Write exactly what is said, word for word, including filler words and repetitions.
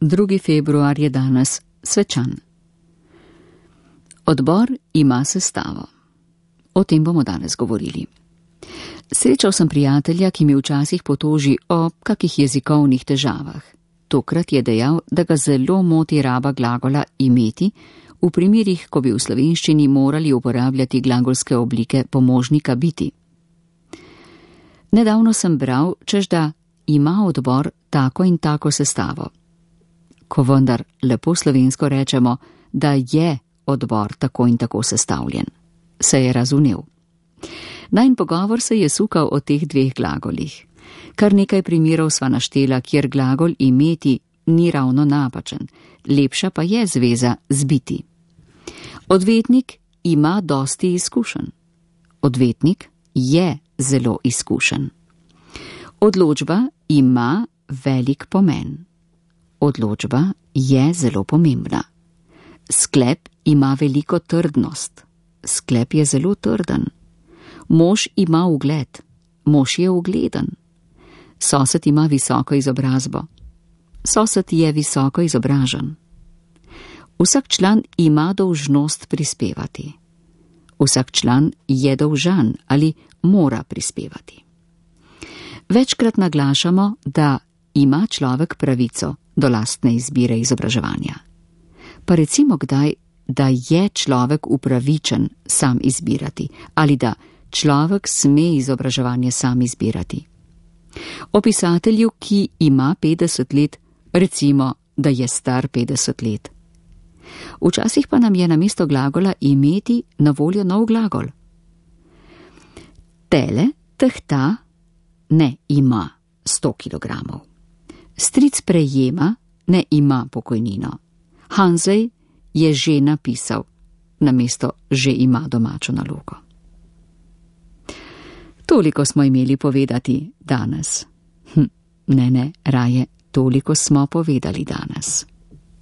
drugi februar je danes svečan. Odbor ima sestavo. O tem bomo danes govorili. Srečal sem prijatelja, ki mi včasih potoži o kakih jezikovnih težavah. Tokrat je dejal, da ga zelo moti raba glagola imeti, v primerih, ko bi v slovenščini morali uporabljati glagolske oblike pomožnika biti. Nedavno sem bral, češ da ima odbor tako in tako sestavo. Ko vendar lepo slovensko rečemo, da je odbor tako in tako sestavljen, se je razumel. Najin pogovor se je sukal o teh dveh glagolih. Kar nekaj primerov sva naštela, kjer glagol imeti ni ravno napačen, lepša pa je zveza z biti. Odvetnik ima dosti izkušenj. Odvetnik je zelo izkušen. Odločba ima velik pomen. Odločba je zelo pomembna. Sklep ima veliko trdnost. Sklep je zelo trden. Mož ima ugled. Mož je ugleden. Sosed ima visoko izobrazbo. Sosed je visoko izobražen. Vsak član ima dolžnost prispevati. Vsak član je dolžan ali mora prispevati. Večkrat naglašamo, da ima človek pravico do lastne izbire izobraževanja. Pa recimo kdaj, da je človek upravičen sam izbirati ali da človek sme izobraževanje sam izbirati. O pisatelju, ki ima petdeset let, recimo, da je star petdeset let. Včasih pa nam je namesto glagola imeti na voljo nov glagol. Tele tehta ne ima sto kilogramov. Stric prejema ne ima pokojnino. Hanzej je že napisal, namesto že ima domačo nalogo. Toliko smo imeli povedati danes. Hm, ne, ne, raje, toliko smo povedali danes.